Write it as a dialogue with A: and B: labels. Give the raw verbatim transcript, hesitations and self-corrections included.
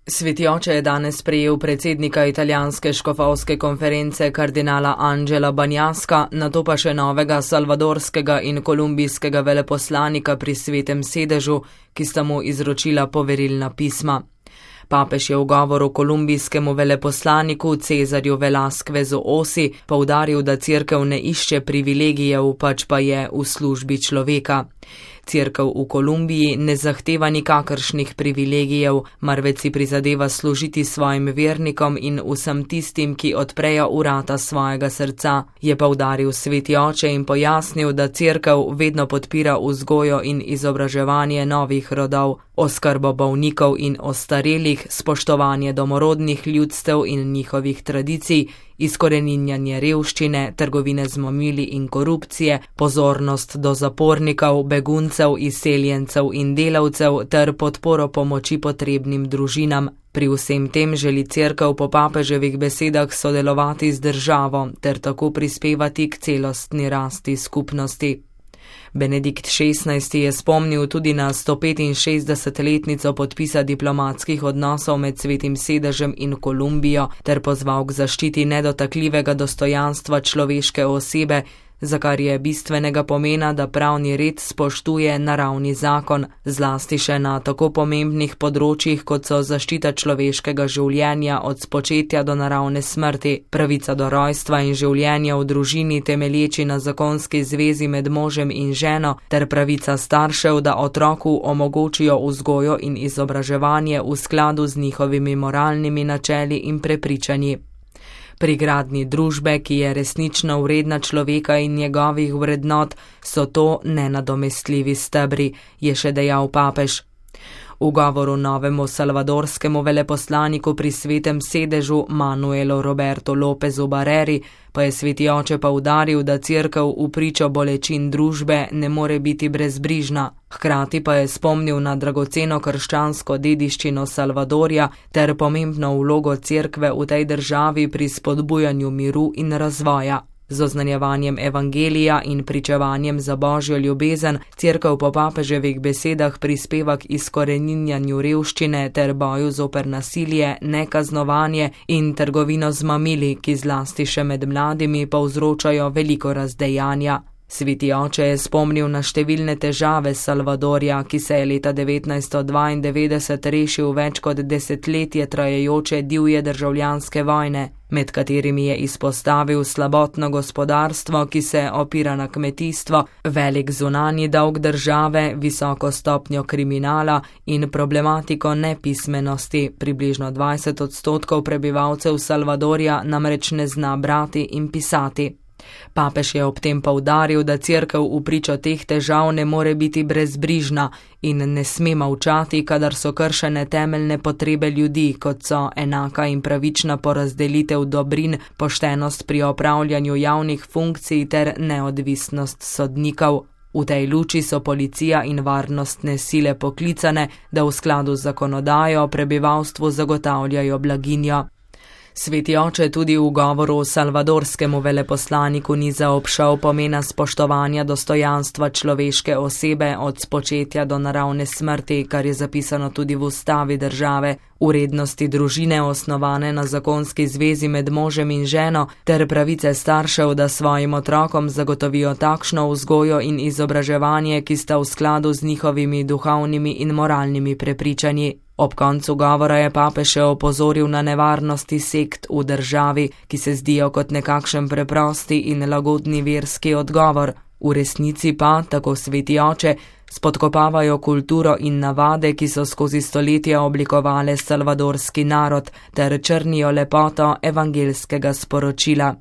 A: Sveti oče je danes sprejel predsednika italijanske škofovske konference kardinala Angela Banjaska, nato pa še novega salvadorskega in kolumbijskega veleposlanika pri Svetem sedežu, ki sta mu izročila poverilna pisma. Papež je v govoru kolumbijskemu veleposlaniku Cezarju Velasquezu Osi poudaril, da cerkev ne išče privilegijev, pač pa je v službi človeka. Cerkev v Kolumbiji ne zahteva nikakršnih privilegijev, marveč si prizadeva služiti svojim vernikom in vsem tistim, ki odprejo vrata svojega srca, je poudaril sveti oče in pojasnil, da cerkev vedno podpira vzgojo in izobraževanje novih rodov, oskrbo bolnikov in ostarelih, spoštovanje domorodnih ljudstev in njihovih tradicij, izkoreninjanje revščine, trgovine z mamili in korupcije, pozornost do zapornikov, beguncev, izseljencev in delavcev ter podporo pomoči potrebnim družinam. Pri vsem tem želi cerkev po papeževih besedah sodelovati z državo ter tako prispevati k celostni rasti skupnosti. Benedikt šestnajsti je spomnil tudi na sto petinšestdesetletnico podpisa diplomatskih odnosov med Svetim sedežem in Kolumbijo ter pozval k zaščiti nedotakljivega dostojanstva človeške osebe, za kar je bistvenega pomena, da pravni red spoštuje naravni zakon, zlasti še na tako pomembnih področjih, kot so zaščita človeškega življenja od spočetja do naravne smrti, pravica do rojstva in življenja v družini temelječi na zakonski zvezi med možem in ženo, ter pravica staršev, da otroku omogočijo vzgojo in izobraževanje v skladu z njihovimi moralnimi načeli in prepričanji. Pri gradnji družbe, ki je resnično vredna človeka in njegovih vrednot, so to nenadomestljivi stebri, je še dejal papež. V govoru novemu salvadorskemu veleposlaniku pri Svetem sedežu Manuelu Roberto Lopezu Barreri pa je sveti oče poudaril, da cerkev v pričo bolečin družbe ne more biti brezbrižna. Hkrati pa je spomnil na dragoceno krščansko dediščino Salvadorja ter pomembno vlogo cerkve v tej državi pri spodbujanju miru in razvoja. Z oznanjevanjem evangelija in pričevanjem za božjo ljubezen cerkev po papeževih besedah prispeva k izkoreninjanju revščine ter boju zoper nasilje, nekaznovanje in trgovino z mamili, ki zlasti še med mladimi povzročajo veliko razdejanja. Sveti oče je spomnil na številne težave Salvadorja, ki se je leta devetnajststo dvaindevetdeset rešil več kot desetletje trajajoče divje državljanske vojne, med katerimi je izpostavil slabotno gospodarstvo, ki se opira na kmetijstvo, velik zunanji dolg države, visoko stopnjo kriminala in problematiko nepismenosti. Približno dvajset odstotkov prebivalcev Salvadorja namreč ne zna brati in pisati. Papež je ob tem poudaril, da cerkev v pričo teh težav ne more biti brezbrižna in ne sme molčati, kadar so kršene temeljne potrebe ljudi, kot so enaka in pravična porazdelitev dobrin, poštenost pri opravljanju javnih funkcij ter neodvisnost sodnikov. V tej luči so policija in varnostne sile poklicane, da v skladu z zakonodajo prebivalstvu zagotavljajo blaginjo. Sveti oče tudi v govoru salvadorskemu veleposlaniku ni zaobšel pomena spoštovanja dostojanstva človeške osebe od spočetja do naravne smrti, kar je zapisano tudi v ustavi države, vrednosti družine osnovane na zakonski zvezi med možem in ženo ter pravice staršev, da svojim otrokom zagotovijo takšno vzgojo in izobraževanje, ki sta v skladu z njihovimi duhovnimi in moralnimi prepričanji. Ob koncu govora je papež še opozoril na nevarnosti sekt v državi, ki se zdijo kot nekakšen preprosti in lagodni verski odgovor, v resnici pa, tako sveti oče, spodkopavajo kulturo in navade, ki so skozi stoletja oblikovale salvadorski narod ter črnijo lepoto evangelskega sporočila.